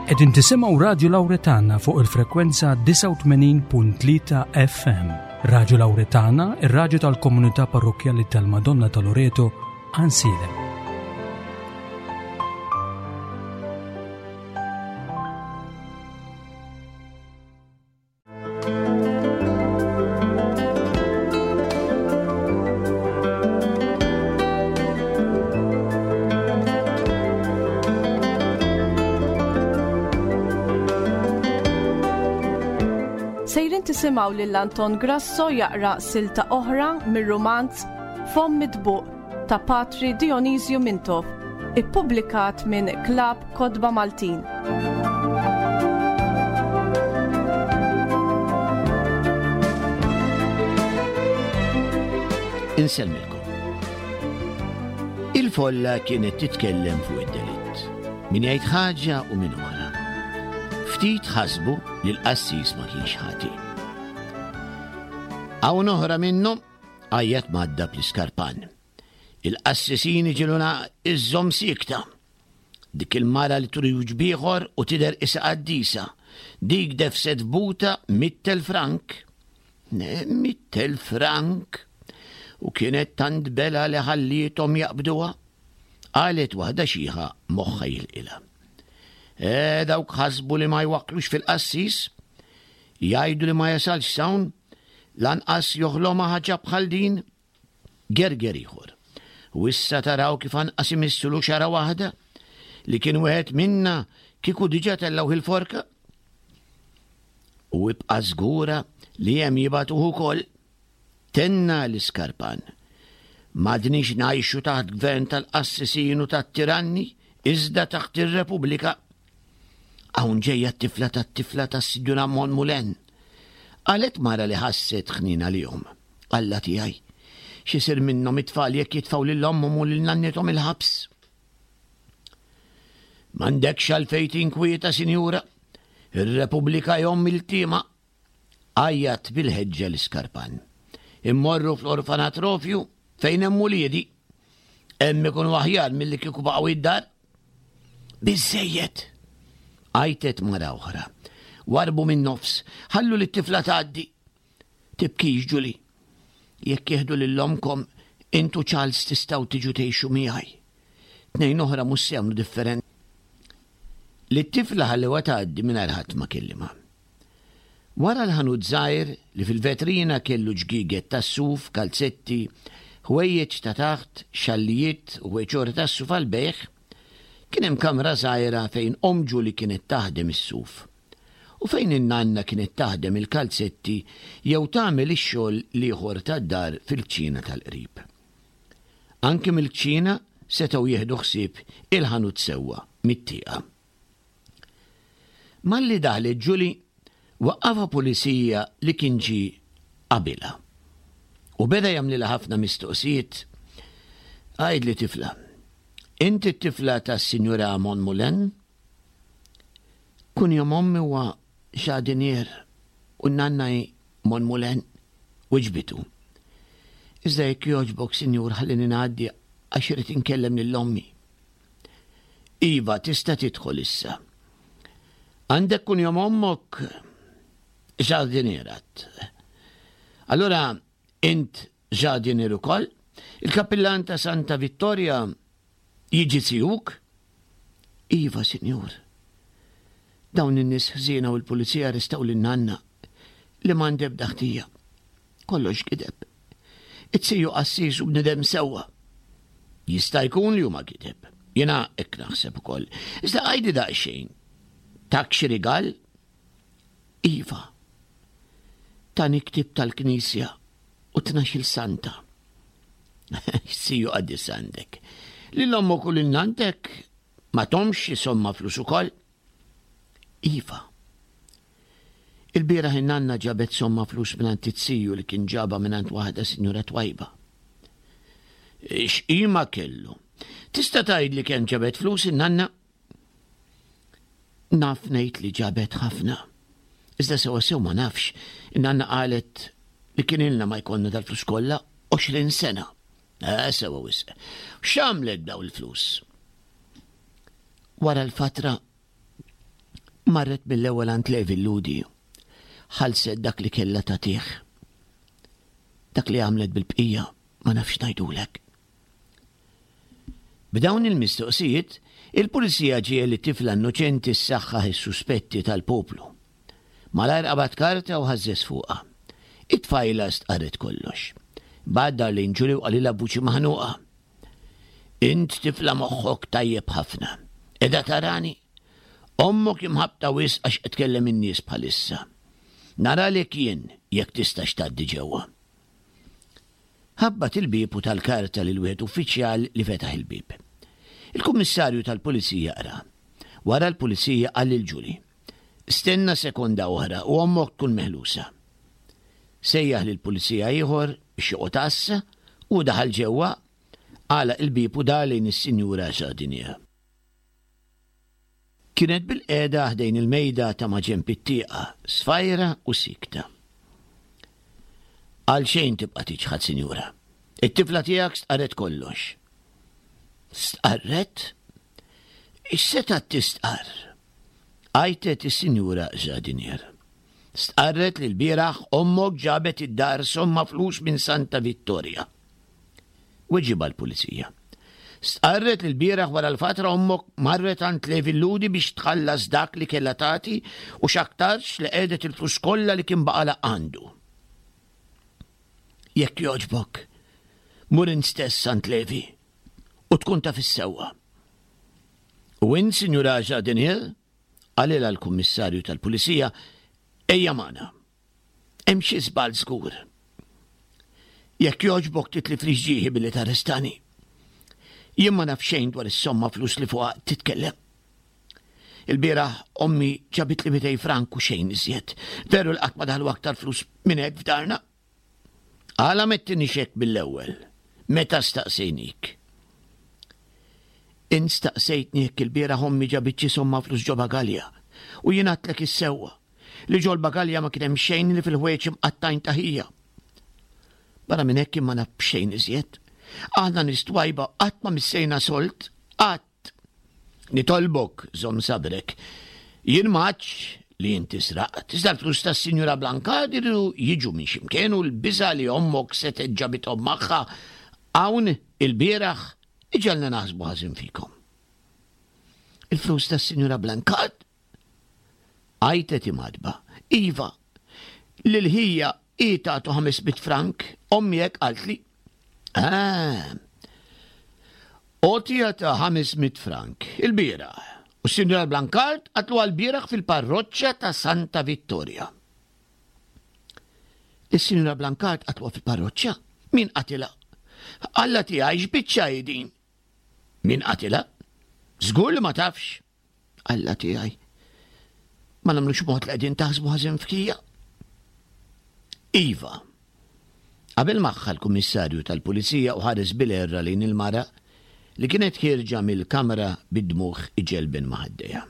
Qegħdin tisimgħu Radju Lawretana fuq il-frekwenza 89.3 FM. Radju Lawretana, ir-radju tal-komunità parrokkjali tal-Madonna ta' Loreto, Ansilem. Sejrin tisimgħu lil Anton Grasso jaqra silta oħra mir-rumanz Fomm Mitbuq ta' Patri Dionisju Mintoff, ippubblikat minn Klabb Kotba Maltin. Insellmilkom. Il-folla kienet titkellem fuq id-delitt. Min jgħid ħaġa u min oħra. Ftit ħasbu li l-qassis ma kienx ħati. Hawn oħra minnhom għajjat madda bl-iskarpan. Il-qassisin iġiluna iżżomm siekta. Dik il-mara li turi wiċċ b'ieħor u tidher qisha qaddisa. Dik defset f'buta mittel frank. Mittel frank! U kienet tant bela li ħalliethom jaqbduha. Qalet waħda xiħa moħħha jilqilha. Eh, dawk ħasbu li ma jwakklux fil-qassis? Jgħidu li ma jasalx s'hawn? Lanqas joħlomha ħaġa bħal din? Gerger ieħor. U issa taraw kif anqas imissulu xara waħda? Li kien wieħed minna kieku diġà tellgħuh il-forka? U ibqa' żgura li hemm jibagħtuh ukoll. Tenna l-iskarpan. M'għadniex ngħixu taħt gvern tal-qassisin u tat-tiranni, iżda taħt ir-Repubblika. Hawn ġejja t-tifla tat-tifla tas-Sinjura Monmulen. Qalet mara li ħasset ħnien għalihom. Alla tiegħi, x'isir minnhom it-tfal jekk jitfgħu lil ommhom u lil nannithom il-ħabs? M'għandekx għalfejn tinkwieta, sinjura. Ir-Repubblika hi omm iltiema. Għajjat bil-ħeġġa l-iskarpan. Immorru fl-orfanatrofju fejn hemm uliedi. Hemm ikunu aħjar milli kieku baqgħu id-dar. Biżżejjed! Għajtet mara oħra. Warbu min-nofs, ħallu lit-tifla tgħaddi. Tibkix, Julie. Jekk jieħdu lil ommkom, int u Charles tistgħu tiġu tgħixu miegħi. Tnejn oħra mhux se jagħmlu differenza. Lit-tifla ħallewha tgħaddi mingħajr ħadd ma kellimha. Wara l-ħanut żgħir li fil-vetrina kellu ġgieget tas-suf, kalzetti, ħwejjeġ ta' taħt, xallijiet u ħwejġ oħra tas-suf għall-bejgħ, kien hemm kamra żgħira fejn omm Julie kienet taħdem is-suf u fejn in-nanna kienet taħdem il-kalzetti jew tagħmel ix-xogħol l-ieħor tad-dar fil-kċina tal-qrib. Anki mill-kċina setgħu jieħdu ħsieb il-ħanut sewwa mit-tieqa. Malli daħlet Julie, waqqafha pulizija li kien ġie qabilha. U beda jagħmlilha ħafna mistoqsijiet. Għidli tifla, inti t-tifla tas-Sinjura Monmoulin? Kunjom ommi huwa Jardinier u n-nanna hi Monmoulin, wiġbitu. Iżda jekk jogħġbok, sinjur, ħallini ngħaddi għax irrid inkellem lil ommi. Iva, tista' tidħol issa. Għandek kunjom ommok Jardinier għadt. Allura int Jardinier ukoll? Il-kappillan ta' Santa Vittoria jiġi zijuk? Iva, sinjur. Dawn in-nies ħżiena u l-pulizija arrestaw lil nanna li m'għandha ebda ħtija. Kollox gideb. It-siju qassis u bnidem sewwa. Jista' jkun li huma gideb. Jiena hekk naħseb ukoll. Iżda għajdi daqsxejn. Tak xi rigal? Iva. Tani ktieb tal-knisja u tnax-il santa. Siju qaddis għandek. Lil ommok u lil nantek ma tomx xi somma flus ukoll? Iva. Il-bieraħ in-nanna ġabet somma flus mingħand it-siju li kien ġabha mingħand waħda sinjura twajba. X'qima kellu? Tista' tgħidli kemm ġabet flus in-nanna? Naf ngħid li ġabet ħafna. Iżda sewa sew ma nafx. In-nanna qalet li kien ilna ma jkollna dal-flus kollha 20 sena. Eh, sewa wisq. X'għamlet daw il-flus? Wara l-fatra. Marret mill-ewwel għand Levi l-Lhudi. Ħallset dak li kellha tagħtih. Dak li għamlet bil-bqija ma nafx ngħidulek. B'dawn il-mistoqsijiet, il-pulizija ġiegħel lit-tifla innoċenti ssaħħaħ is-suspetti tal-poplu. Malajr qabad karta u ħażżeż fuqha. It-tfajla stqarret kollox. Imbagħad dar lejn Julie u qalilha b'vuċi maħnuqa. Int tifla moħħok tajjeb ħafna. Qiegħda tarani? Ommok imħabbta wisq għax qed tkellem in-nies bħalissa. Naralek jien jekk tistax tgħaddi ġewwa. Ħabbat il-bieb u ta l-karta lil wieħed uffiċjal li fetaħ il-bieb. Il-kummissarju tal-pulizija qra. Wara l-pulizija qal lil Julie, Stenna sekonda oħra u ommok tkun meħlusa. Sejjaħ lil pulizija ieħor biex joqgħod għassa u daħal ġewwa, għalaq il-bieb u dar lejn is-Sinjura Jardinier. Kienet bilqiegħda ħdejn il-mejda ta' maġenb it-tieqa, sfajra u siekta. Għalxejn tibqa' tiċħad, sinjura. It-tifla tiegħek stqarret kollox. Stqarret? X'setgħet tistqarr? Għajtet is-Sinjura Jardinier. Stqarret li lbieraħ ommok ġabet id-dar somma flus minn Santa Vittoria. Weġibha l-pulizija. Stqarret li lbieraħ wara l-fatra ommok marret għand Levi Ludi biex tħallas dak li kellha tagħti u x'aktarx li qegħdet il-flus kollha li kien baqalha għandu. Jekk jogħġbok, mur int stess għand Levi u tkun taf is-sewwa. U int, Sinjura Jardinier, qalilha l-kummissarju tal-pulizija, ejja magħna. Hemm xi żball żgur. Jekk jogħġbok titliflix ġieħi billi tarrestani. Jien ma naf xejn dwar is-somma flus li fuqha titkellem. Il-bieraħ ommi ġabitli 200 frank u xejn iżjed. Veru li qatt ma daħlu aktar flus minn hekk f'darna. Għala m'għedtinix hekk mill-ewwel, meta staqsejnik? Int staqsejtni jekk il-bieraħ ommi ġabit xi somma flus ġo bagalja, u jien għedtlek is-sewwa. Li ġol-bagalja ma kien hemm xejn li fil-ħwejjeġ imqattgħin ta' ħija. Barra minn hekk jien ma naf b'xejn iżjed. Aħna nies twajba qatt ma missejna sold, qatt. Nitolbok, żomm sabrek. Jien ma għadx li inti sraqt, iżda l-flus tas-Sinjura Blancard iridu jiġu minn x'imkien u l-biża' li ommok setgħet ġabithom magħha hawn ilbieraħ iġegħelna naħsbu ħażin fikom. Il-flus tas-Sinjura Blancard? Għajtet imgħaddba. Iva, lil ħija hi tagħtu 500 frank, ommi hekk qaltli. Ah. Għotja ta' 500 frank, il-bieraħ. U s-Sinjora Blancard qatlu għal-bieraħ fil-parroċċa ta' Santa Vittoria. Is-Sinjora Blancard qatluha fil-parroċċa? Min qatilha? Alla tiegħi x'biċċa hi din? Min qatilha? Żgur li ma tafx. Alla tiegħi. Ma nagħmlux mod li qegħdin taħsbu ħażin fkija. Iva. Qabel magħha l-kummissarju tal-pulizija u ħares bil-erra lejn il-mara li kienet ħierġa mill-kamra bid-dmugħ iġelben ma' ħaddejha.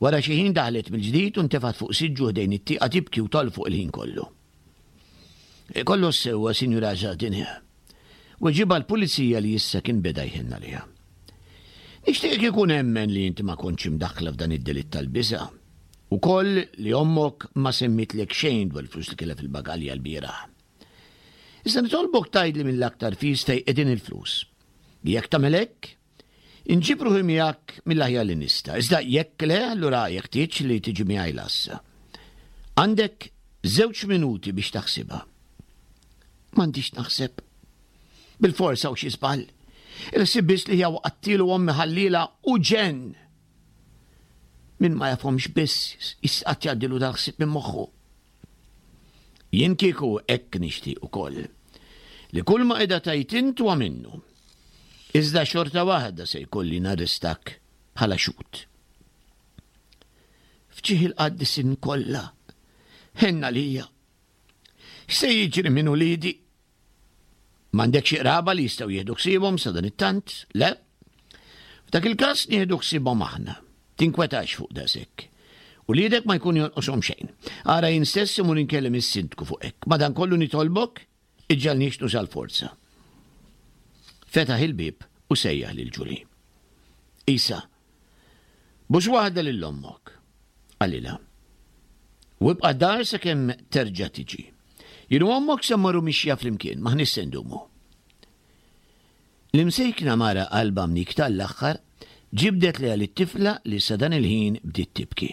Wara xi ħin daħlet mill-ġdid u ntefgħet fuq siġġu ħdejn it-tieqa tibki u tolfoq il-ħin kollu. Kollox sewwa, Sinjura Jardinier. Weġibha l-pulizija li issa kien beda jħenn għaliha. Nixtieq kieku nemmen li inti ma kontx imdaħħla f'dan id-delitt tal-biża'. Ukoll li ommok ma semmitlek xejn dwar il-flus li kellha fil-bagalja lbieraħ. Iżda nitolbok tgħidli mill-aktar fis fejn qegħdin il-flus. Jekk tagħmel hekk, inġib ruħi miegħek mill-aħjar li nista'. Iżda jekk le, allura jeħtieġ li tiġi miegħi l-għassa. Għandek żewġ minuti biex taħsibha. M'għandix naħseb. Bilfors hawn xi żball. Il-ħsieb biss li hija waqattilu ommi ħalliela u ġenn. Min ma jafhomx biss jista' qatt jgħaddilu dal-ħsieb minn moħħu. Jien kieku hekk nixtieq ukoll. Li kull ma qiegħda tgħid int huwa minnu. Iżda xorta waħda se jkolli narrestak bħala xhud. F'ġieħ il-qaddisin kollha, ħenn għalija. X'se jiġri minn uliedi? M'għandek xi qraba li jistgħu jieħdu ħsiebhom sa dan it-tant? Le? F'dak il-każ nieħdu ħsiebhom aħna. Tinkwetax fuq daqshekk. Uliedek ma jkun jonqoshom xejn. Ara jien stess imur inkellem is-sindku fuq hekk. Madankollu nitolbok, iġġalniex nuża l-forza. Fetaħ il-bieb u sejjaħ lil Ġuli. Isa. Bus waħda lil ommok, qalilha. U ibqa' dar sakemm terġa' tiġi. Jien u ommok se mmorru mixja flimkien, m'aħniex se ndumu. L-imsejkna mara qalbha mnikta għall-aħħar ġibdet lejha lit-tifla li sa dan il-ħin bdiet tibki.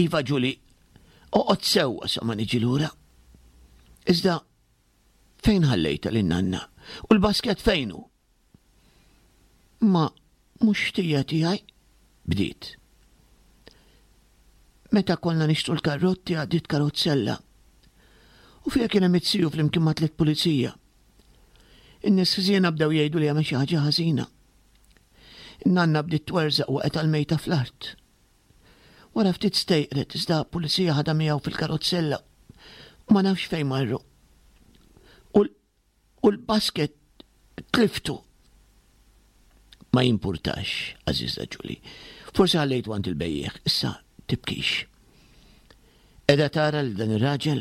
Iva Ġuli, oqgħod sewwa sa ma niġi lura. Iżda fejn ħallejtha lin-nanna? U l-basket fejn hu? Ma mhux ħtija tiegħi, bdiet. Meta konna nixtru l-karrotti għaddiet karozzella. U fiha kien hemm it-siju flimkien ma' tliet pulizija. In-nies ħżiena bdew jgħidu li għamel xi ħaġa ħażina. In-nanna bdiet twerżaq waqgħet għal-mejta fl-art. Wara ftit stejqret iżda pulizija ħadha miegħu fil-karozzella u ma nafx fejn marru. U U l-basket tliftu. Ma jimpurtax, għażiża Ġuli. Forsi ħallejtu għand il-bejjiegħ, issa tibkix. Qiegħda tara lil dan ir-raġel?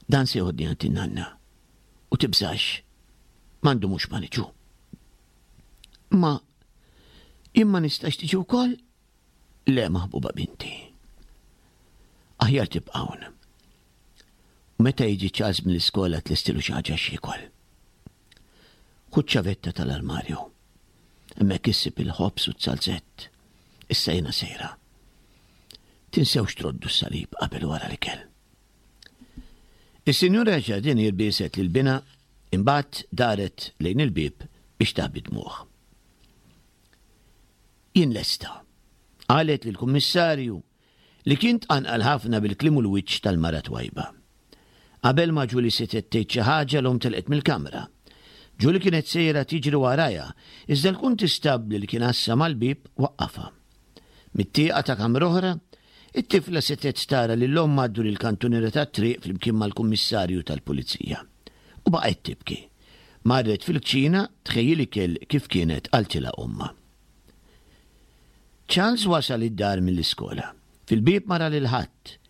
Dan se joħodni għand in-nanna. U tibżax, ma ndumux ma niġu. Ma jien ma nistax tiġi wkoll? Le maħbuba binti. Aħjar tibqa' hawn. U meta jiġi Charles mill-iskola tlestilu xi ħaġa x'jiekol. Ħu ċ-ċavetta tal-armarju. Hemmhekk issib il-ħobż u t-zalzett. Issa jiena sejra. Tinsewx troddu s-salib qabel wara l-ikel. Is-Sinjura Jardinier bieset lil binha, imbagħad daret lejn il-bieb biex taħbi dmugħ. Jien lesta, qalet lill-Kummissarju li kien tqanqal ħafna bil-kliem u l-wiċċ tal-mara twajba. Qabel ma Julie setgħet tgħid xi ħaġa l-omm telqet mill-kamra. Julie kienet sejra tiġri warajha, iżda l-kuntistabbli li kien għassa mal-bieb waqqafha. Mit-tieqa ta' kamra oħra, it-tifla setgħet tara lil ommha ddur il-kantuniera tat-triq flimkien mal-kummissarju tal-pulizija. U baqgħet tibki. Marret fil-kċina tħejji l-ikel kif kienet qaltilha ommha. Charles wasal id-dar mill-iskola. Fil-bieb ma ra lil ħadd.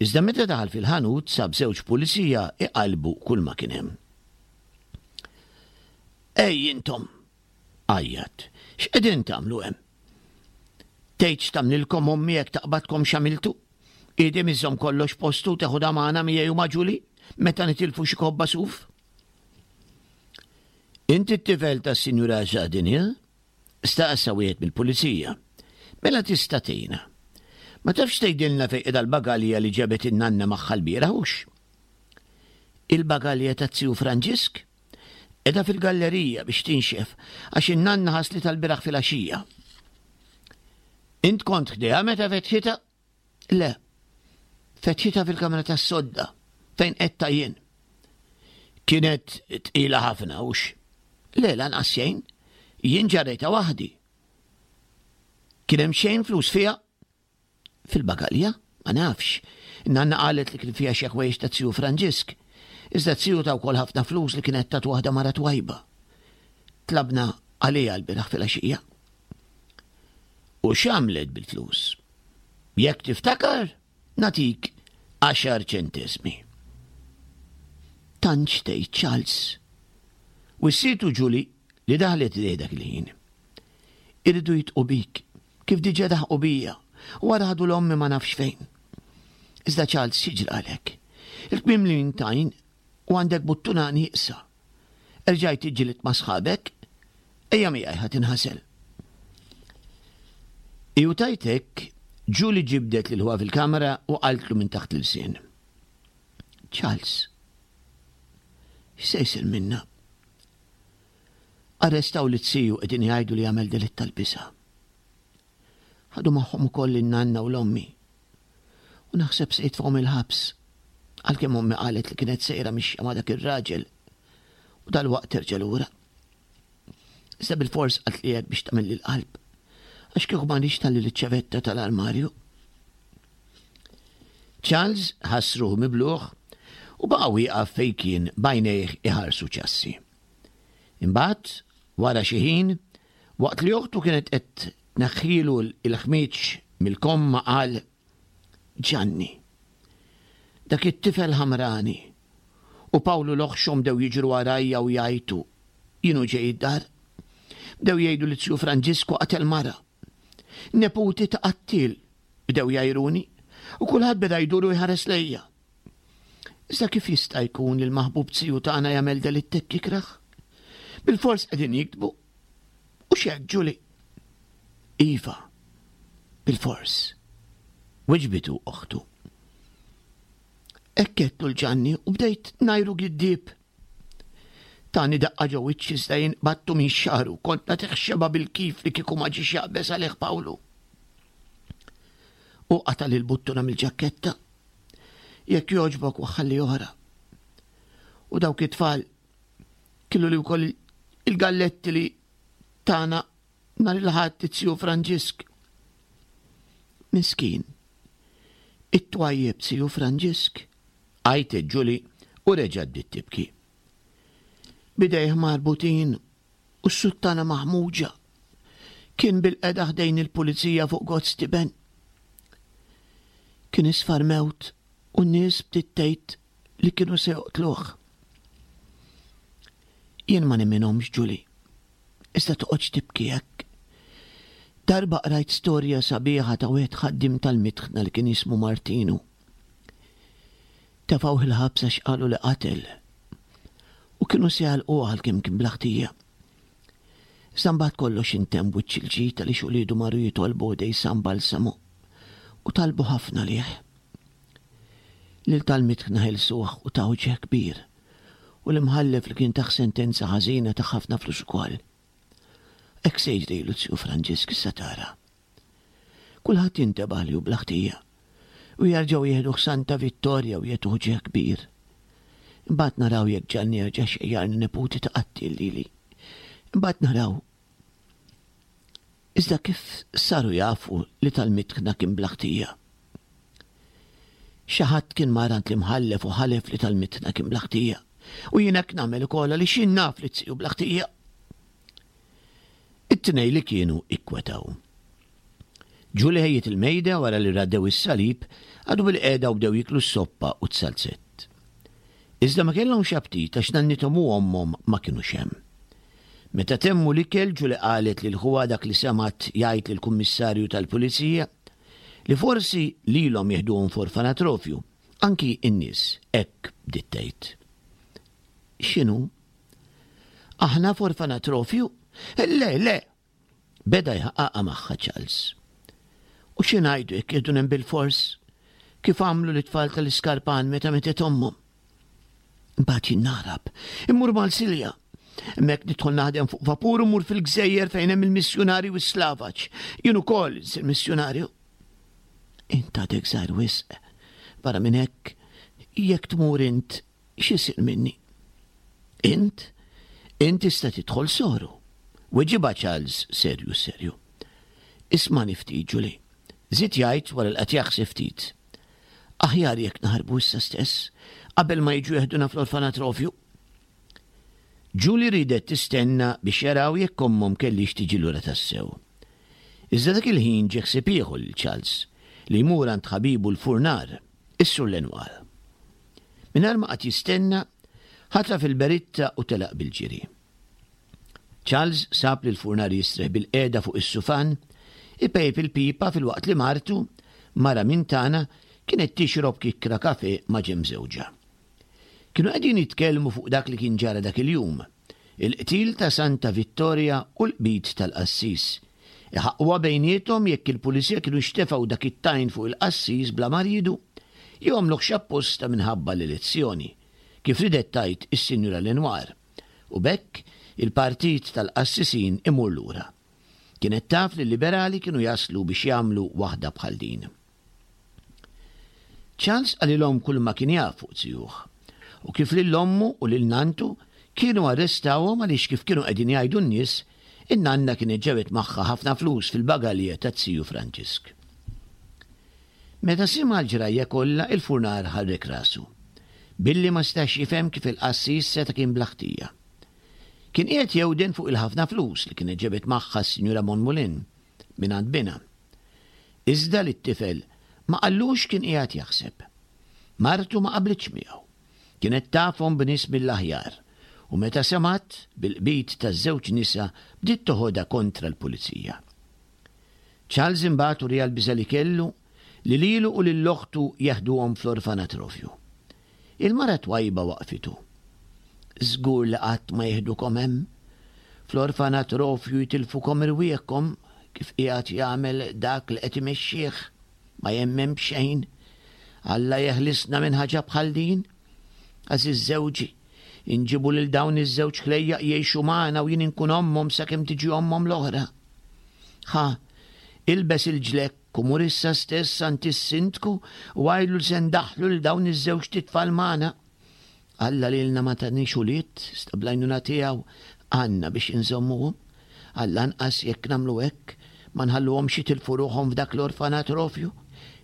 Iżda meta daħal fil-ħanut sab żewġ pulizija iqallbu kulma kien hemm. Ej intom! għajjat. X'qegħdin tagħmlu hemm? Tgħid x'tagħmlilkom ommi jekk taqbadkom x'għamiltu? Idi miżżomm kollox postu teħodha magħna miegħi u ma' Ġuli meta nitilfu xi kobba suf? Inti t-tifel tas-Sinjura Jardinier? Staqsa wieħed mill-pulizija. Mela tista' tgħinna. Ma tafx tgħidilna fejn qiegħda l-bagalja li ġabet in-nanna magħha lbieraħ hux? Il-bagalja taz-ziju Franġisk? Qiegħda fil-gallerija biex tinxef għax in-nanna ħaslitha lbieraħ filgħaxija. Int kont ħdejha meta fetħitha? Le. Fetħitha fil-kamra tas-sodda fejn qedta jien. Kienet tqila ħafna hux? Le, lanqas xejn. Jien ġarrejtha waħdi. Kien hemm xejn flus fiha? Fil-bagalja? Ma nafx. Nanna qalet li kien fiha xi ħwejjeġ ta' ziju Franġisk. Iżda ziju ta wkoll ħafna flus li kienet tat waħda mara twajba. Tlabna għaliha l-bieraħ filgħaxija. U x'għamlet bil-flus? Jekk tiftakar, nagħtik għaxar ċenteżmi. Tantx tgħid Charles. Wissietu Julie li daħlet idejh dak il-ħin. Iridu jitqu bik, kif diġà daħqu bija, u wara ħadu l-ommi ma nafx fejn. Iżda Charles xi ġralek? Il-kmiem li intajn u għandek buttuna nieqsa. Erġajt iġġilidt ma' sħabek? Ejja miegħi ħa tinħasel. Iu tajt hekk, Julie ġibdet lil ħuha fil-kamra u qaltlu minn taħt l-ilsien. Charles, x'se jsir minna? Arrestaw lit-siju qegħdin jgħidu li għamel delitt tal-biża'. Ħadu magħhom ukoll in-nanna u l-ommi. U naħseb se jitfgħuhom il-ħabs. Għalkemm ommi qalet li kienet sejra mixja ma' dak ir-raġel u dalwaqt terġa' lura. Iżda bilfors qaltli hekk biex tagħmilli l-qalb. Għax kieku m'għandix tħalli l-ċavetta tal-armarju. Charles ħass ruħu mibluħ u baqa' wieqaf fejn kien b'għajnejh iħarsu ċassi. Imbagħad, wara xi ħin, Waqt li oħtu kienet qed tneħħilu l-ħmieġ mill-komma qal, Ġanni, dak it-tifel ħamrani u Pawlu l-oħxon bdew jiġru warajja u jgħajtu, jien u ġej id-dar. Bdew jgħidu li zju Franġisku qatel mara. Neputi ta' qattiel, bdew jgħajruni, u kulħadd beda jdur u jħares lejja. Iżda kif jista' jkun li l-maħbub ziju tagħna jagħmel delitt hekk ikrah? Bilfors qegħdin jigdbu. U x'hekk, Julie? Iva, bilfors. Weġbitu oħtu. Hekk għedtlu l-Ġanni u bdejt ngħajru giddieb. Tani daqqa ġo wiċċi iżda jien qbadtu minn xagħru, kont nagħtih xebgħa bil-kif li kieku ma ġiex jaqbeż għalih Pawlu. Hu qatali l-buttuna mill-ġakketta. Jekk jogħġbok waħħalli oħra. U dawk it-tfal kielu li wkoll il-galletti li tana nhar il-Ħadd it-Ziju Franġisk. Miskin. It-twajjeb Ziju Franġisk. Għajtet Julie u reġgħet bdiet tibki. B'idejh marbutin u s-suttana maħmuġa, kien bilqiegħda ħdejn il-pulizija fuq gozz tiben. Kien isfar mewt u n-nies bdiet tgħid li kienu se joqtluh. Jien ma nemminhomx Julie. Iżda toqgħodx tibki hekk. Darba qrajt storja sabiħa ta' wieħed ħaddiem tal-mitħna li kien jismu Martinu. Tefgħuh il-ħabs għax qalu li qatel. U kienu se jagħlquh għalkemm kien bla ħtija. Iżda mbagħad kollox intemm b'wiċċ il-ġid għaliex uliedu marru jitolbu ħdej San Balsamo u talbu ħafna għalih. Lil tal-mitħna ħelsuh u tawh ġieħ kbir. U l-imħallef li kien tah sentenza ħażina tah ħafna flus ukoll. Hekk se jiġrilu z-ziju Franġisk issa tara. Kulħadd jintebaħ li hu bla ħtija. U jerġgħu jieħduh Santa Vittoria u jagħtuh ġieħ kbir. Imbagħad naraw jekk Ġanni jerġax jgħajjarni neputi ta' qattiel lili. Imbagħad naraw. Iżda kif saru jafu li tal-mitħna kien bla ħtija? Xi ħadd kien mar għand l-imħallef u ħalef li tal-mitħna kien bla ħtija. U jien hekk nagħmel ukoll għaliex jien naf li t-siju bla ħtija. It-tnejn li kienu ikkwetaw. Julie ħejjiet il-mejda wara li raddew is-salib, qagħdu bilqiegħda u bdew jieklu s-soppa u t-salzett. Iżda ma kellhomx aptit għax nannithom u ommhom ma kinux hemm. Meta temmu l-ikel, Julie qalet lil ħuha dak li semgħet jgħid lill-kummissarju tal-pulizija, li forsi lilhom jeħduhom f'orfanatrofju, anki n-nies hekk bdiet tgħid. X'inhu? Aħna f'orfanatrofju? Le, le! Beda jħaqqaqha magħha Charles. U xi ngħidu jekk jieħduna hemm bilfors? Kif għamlu lit-tfal tal-iskarpan meta mietet ommhom? Imbagħad jien naħrab, immur Malsilja. Hemmhekk nidħol naħdem fuq vapur u mmur fil-gżejjer fejn hemm il-missjunarji u s-slavaġ. Jien ukoll insir missjunarju. Int għadek żgħir wisq. Barra minn hekk, jekk tmur int X'isir minni? Int? Int tista' tidħol soru. Weġibha Charles serju serju. Ismagħni ftit, Julie. Żied jgħid wara li qagħad jaħseb ftit. Aħjar jekk naħarbu issa stess, qabel ma jiġu jeħduna fl-orfanatrofju. Julie riedet tistenna biex jaraw jekk ommhom kellhiex tiġi lura tassew. Iżda dak il-ħin ġie ħsieb ieħor lil Charles, li jmur għand ħabibu l-furnar, is-Sur Lenoir. Mingħajr ma qagħad jistenna, ħataf il-beritta u telaq bil-ġiri. Charles sab lill-furnar jistrieħ bilqiegħda fuq is-sufan, ipejjep il-pipa filwaqt li martu, mara minn tagħna, kienet tixrob kikkra kafè ma' ġenb żewġha. Kienu qegħdin jitkellmu fuq dak li kien ġara dak il-jum, il-qtil ta' Santa Vittoria u l-qbid tal-qassis. Iħaqquha bejniethom jekk il-pulizija kinux tefgħu dak it-tajn fuq il-qassis bla ma riedu, jew għamluhx apposta minħabba l-elezzjoni, kif riedet tgħid is-Sinjura Lenoir, u b'hekk il-partit tal-qassisin imur lura. Kienet taf li l-liberali kienu jaslu biex jagħmlu waħda bħal din. Charles qalilhom kulma kien jaf fuq zijuh, u kif lil ommu u lil nanntu kienu arrestawhom għaliex kif kienu qegħdin jgħidu n-nies, in-nanna kienet ġabet magħha ħafna flus fil-bagalja taz-ziju Franġisk. Meta sema' l-ġrajja kollha, il-furnar ħarrek rasu, billi ma setax jifhem kif il-qassis seta' kien bla ħtija. Kien qiegħed jewden fuq il-ħafna flus li kienet ġabet magħha s-Sinjura Monmoulin mingħand binha. Iżda lit-tifel ma qallux x'kien qiegħed jaħseb. Martu ma qablitx miegħu. Kienet tafhom b'nies mill-aħjar u meta semgħet bil-qbid taż-żewġ nisa bdiet toħodha kontra l-pulizija. Charles imbagħad uriha l-biża' li kellu li lilu u lil oħtu jeħduhom fl-orfanatrofju. Il-mara twajba waqfitu. Żgur li qatt ma jeħdukom hemm. Fl-orfanatrofju jitilfukom irwieħkom kif qiegħed jagħmel dak li qed imexxih. Ma jemmen b'xejn. Alla jeħlisna minn ħaġa bħal din. Għażiż żewġi, inġibu lil dawn iż-żewġ ħlejjaq jgħixu magħna u jien inkun ommhom sakemm tiġi ommhom l-oħra. Ħa, ilbes il-ġlekk u mur issa stess għand is-sindku u għidlu li se ndaħħlu lil dawn iż-żewġt itfal magħna. Alla lilna ma taniex ulied, iżda bl-għajnuna tiegħu għandna biex inżommuhom. Għall-anqas jekk nagħmlu hekk, ma nħalluhomx jitilfu ruħhom f'dak l-orfanatrofju.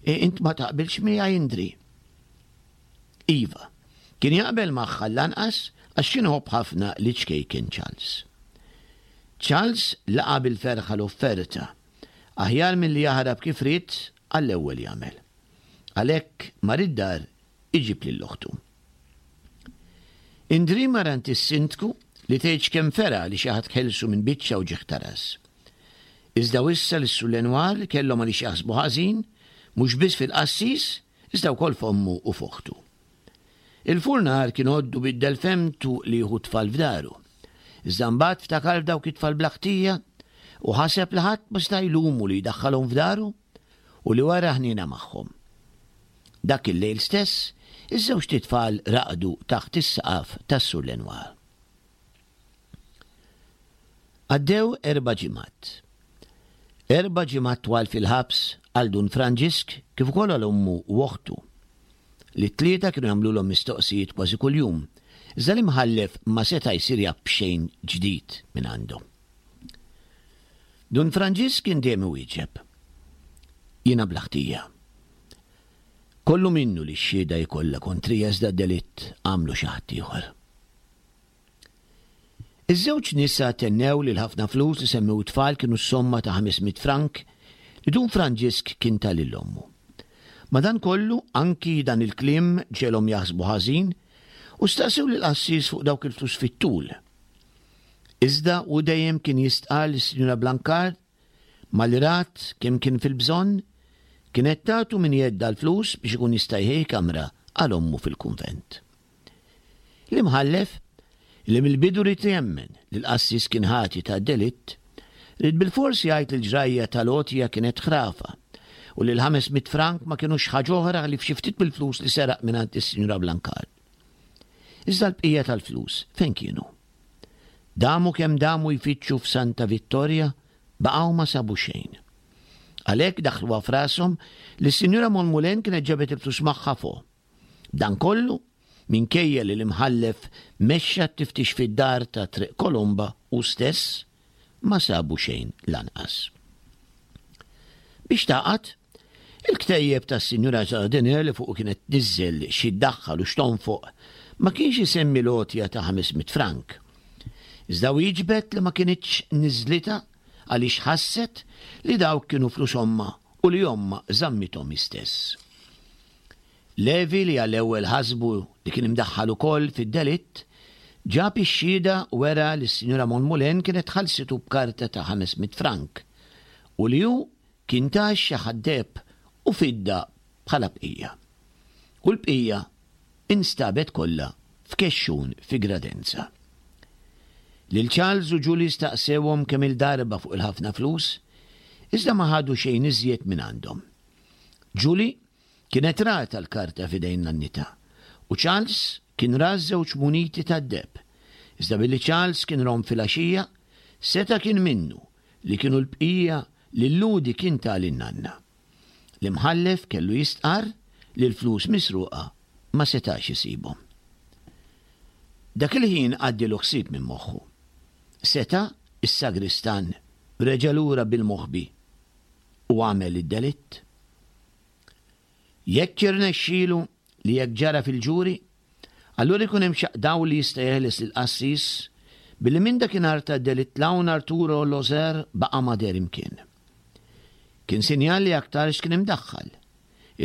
Int ma taqbilx miegħi, Indri? Iva, kien jaqbel magħha l-anqas għax kien iħobb ħafna liċ-ċkejken Charles. Charles laqa' bil-ferħa l-offerta. Aħjar milli jaħrab kif ried għall-ewwel jagħmel. Għalhekk mar id-dar iġib lil oħtu. Indri mar għand is-sindku li tgħidx kemm feraħ li xi ħadd ħelsu minn biċċa wġigħ ta' ras. Iżda wissa lis-Sur Lenoir li kellhom għaliex jaħsbu ħażin, mhux biss fil-qassis, iżda wkoll f'ommu u f'oħtu. Il-furnar kien għoddu biddel fehmtu li jieħu t-tfal f'daru. Iżda mbagħad ftakar f'dawk it-tfal bla ħtija u ħaseb li ħadd ma seta' jlumu li jdaħħalhom f'daru u li wera ħniena magħhom. Dak il-lejl stess, iż-żewġt itfal raqdu taħt is-saqaf tas-Sur Lenoir. Għaddew erba' ġimgħat. Erba' ġimgħat twal fil-ħabs għal Dun Franġisk kif ukoll għal ommu u oħtu. Li t-tlieta kienu jagħmlulhom mistoqsijiet kważi kuljum, iżda l-imħallef ma seta' jsir jaf b'xejn ġdid minn għandhom. Dun Franġisk kien dejjem iwieġeb, Jiena bla ħtija. Kollu minnu li x-xhieda hi kollha kontrija iżda d-delitt għamlu xi ħadd ieħor. Iż-żewġ nisa tennew li l-ħafna flus li semmew it-tfal kienu s-somma ta' 500 frank li Dun Franġisk kien ta lil ommu. Madankollu, anki dan il-kliem ġegħelhom jaħsbu ħażin u staqsew lill-qassis fuq dawk il-flus fit-tul. Iżda hu dejjem kien jistqarr li s-Sinjura Blancard Malli rat kemm kien fil-bżonn, kienet tagħtu minn jeddha l-flus biex ikun jista' jħejji kamra għal ommu fil-kunvent. L-imħallef, li mill-bidu ried jemmen li l-qassis kien ħati ta' delitt, ried bilfors jgħid li l-ġrajja tal-għotja kienet ħrafa u li l-500 frank ma kinux ħaġa oħra ħlief xi ftit mill-flus li seraq mingħand is-Sinjura Blancard. Iżda l-bqija tal-flus fejn kienu? Damu kemm damu jfittxu f'Santa Vittoria, baqgħu ma sabu xejn. Għalhekk daħħluha f'rashom li s-Sinjura Monmoulin kienet ġabet il-flus magħha fuq. Dan kollu minkejja li l-imħallef mexxa t-tiftix fid-dar ta' Triq Kolomba hu stess, ma sabu xejn lanqas. Biex tagħqad, il-ktejjeb tas-Sinjura Jardinier li fuqu kienet tniżżel xi ddaħħal u x'tonfoq ma kienx isemmi l-għotja ta' 500 frank. Iżda wieġbet li ma kinitx niżlitha għaliex ħasset li dawk kienu flus ommha u li ommha żammithom hi stess. Levi li għall-ewwel ħasbu li kien imdaħħal ukoll fid-delitt, ġab ix-xhieda u wera li s-Sinjura Monmoulin kienet ħallsitu b'karta ta' 500 frank u li hu kien ta xi ħadd deheb u fidda bħala bqija. U l-bqija instabet kollha f'kexxun fi Gradenza. Lil Charles u Julie staqsewhom kemm-il darba fuq il-ħafna flus, iżda ma ħadu xejn iżjed mingħandhom. Julie Kienet ratha l-karta f'idejn nannitha, u Charles kien ra ż-żewġ muniti tad-deheb. Iżda billi Charles kien rom filgħaxija, seta' kien minnu li kienu l-bqija li l-Lhudi kien ta lin-nanna. L-imħallef kellu jistqarr li l-flus misruqa ma setax isibhom. Dak il-ħin għaddielu ħsieb minn moħħu. Seta' s-sagristan reġa' lura bil-moħbi u għamel id-delitt? Jekk jirnexxilu li hekk ġara fil-ġuri, allura jkun hemm xaqq dawl li jista' jeħles lill-qassis billi minn dakinhar tad-delitt 'l hawn Arturo Loser baqa' ma deher imkien. Kien sinjal li aktarx kien imdaħħal.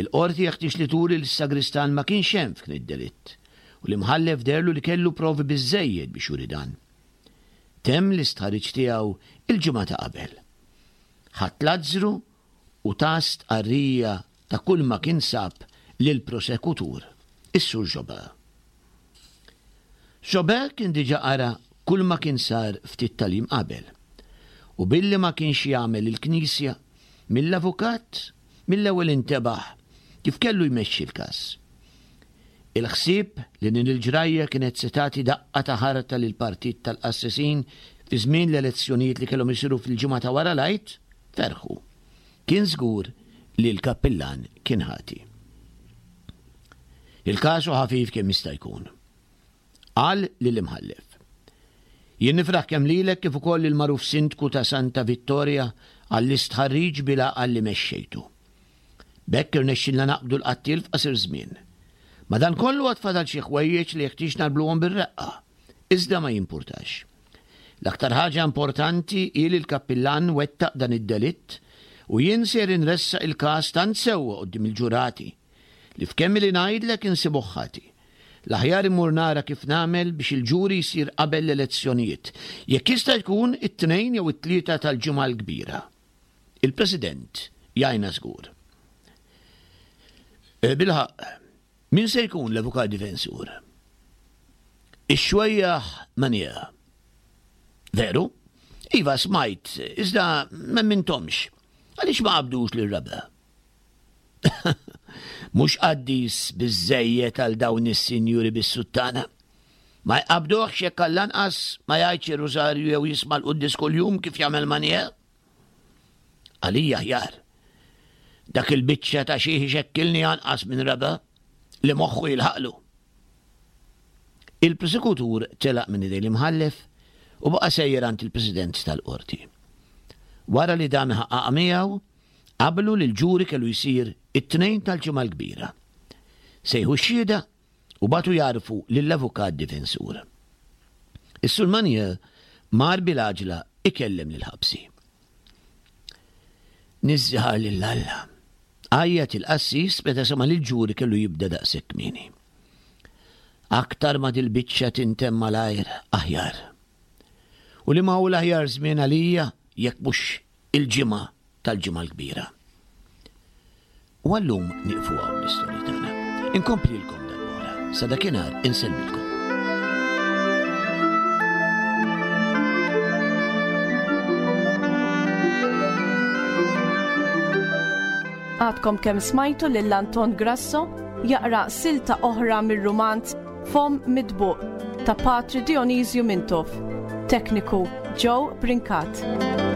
Il-Qorti jeħtieġ li turi li s-sagristan ma kienx hemm f'kien id-delitt u l-Imħallef deherlu li kellu provi biżżejjed biex juri dan. Temm l-istħarriġ tiegħu il-ġimgħa ta' qabel. Ħadd Lazzru. u ta stqarrija ta' kulma kien sab lill-prosekutur, is-Sur Jobin. Jobin kien diġà qara kulma kien sar ftit tal-jiem qabel, u billi ma kienx jagħmel il-knisja, mill-avukat mill-ewwel intebaħ kif kellu jmexxi l-każ. Il-ħsieb li din il-ġrajja kienet se tagħti daqqa ta' ħarta lill-partit tal-qassisin fi żmien l-elezzjonijiet li kellhom isiru fil-ġimgħa ta' wara l-Għid, ferħu. Kien żgur li l-kappillan kien ħati. Il-każ hu ħafif kemm jista' jkun. Qal lill-imħallef. Jien nifraħ kemm lilek kif ukoll lill-magħruf sindku ta' Santa Vittoria għall-istħarriġ bil-għaqal li mexxejtu. B'hekk irnexxilna naqbdu l-qattiel f'qasir żmien. Madankollu għad fadal xi ħwejjeġ li jeħtieġ nagħrbluhom bir-reqqa. Iżda ma jimpurtax. L-aktar ħaġa importanti hi li l-kappillan wettaq dan id-delitt u jien ser inressaq il-każ tant sewwa quddiem il-ġurati li f'kemm ili ngħidlek insibuh ħati. L-aħjar immur nara kif nagħmel biex il-ġuri jsir qabel l-elezzjonijiet, jekk jista' jkun it-Tnejn jew it-Tlieta tal-Ġimgħa l-Kbira. Il-President jgħinna żgur. Eh, bilħaqq, min se jkun l-avukat difensur? Ix-xwejjaħ Mania. Veru? Iva smajt, iżda m'emminthomx. Għaliex ma qabdux lir-raba'? Mhux qaddis biżżejjed għal dawn is-sinjuri bis-suttana. Ma jqabbduhx jekk għall-anqas ma jgħidx ir-rużarju jew jisma' l-quddies kuljum kif jagħmel Manier. Għalija aħjar. Dak il-biċċa ta' xieħ ixekkilni anqas minn raba' li moħħu jilħaqlu. Il-prosekutur telaq minn idejn l-imħallef u baqa' sejjer għand il-President tal-Qorti. Wara li dam iħaqqaqha miegħu, Qablu li l-ġuri kellu jsir it-Tnejn tal-Ġimgħa l-Kbira. Sejħu x-xhieda u bagħtu jgħarrfu lill-avukat difensur. Is-Sur Manier mar bil-għaġla ikellem lill-ħabsi. Niżżiħar lil Alla, għajjat il-qassis meta sema' li l-ġuri kellu jibda daqshekk kmieni. Aktar ma dil-biċċa tintemm malajr, aħjar. U liema hu l-aħjar żmien għalija jekk mhux il-Ġimgħa tal-Ġimgħa l-Kbira. U għallum nieqfu hawn l-istorja tagħna. Inkomplilkom darb'oħra. Sa dakinhar insellmilkom. Għadkom kemm smajtu lil Anton Grasso jaqra silta oħra mir-rumanz Fomm Mitbuq ta' Patri Dionisju Mintoff. Tekniku Joe Brincat.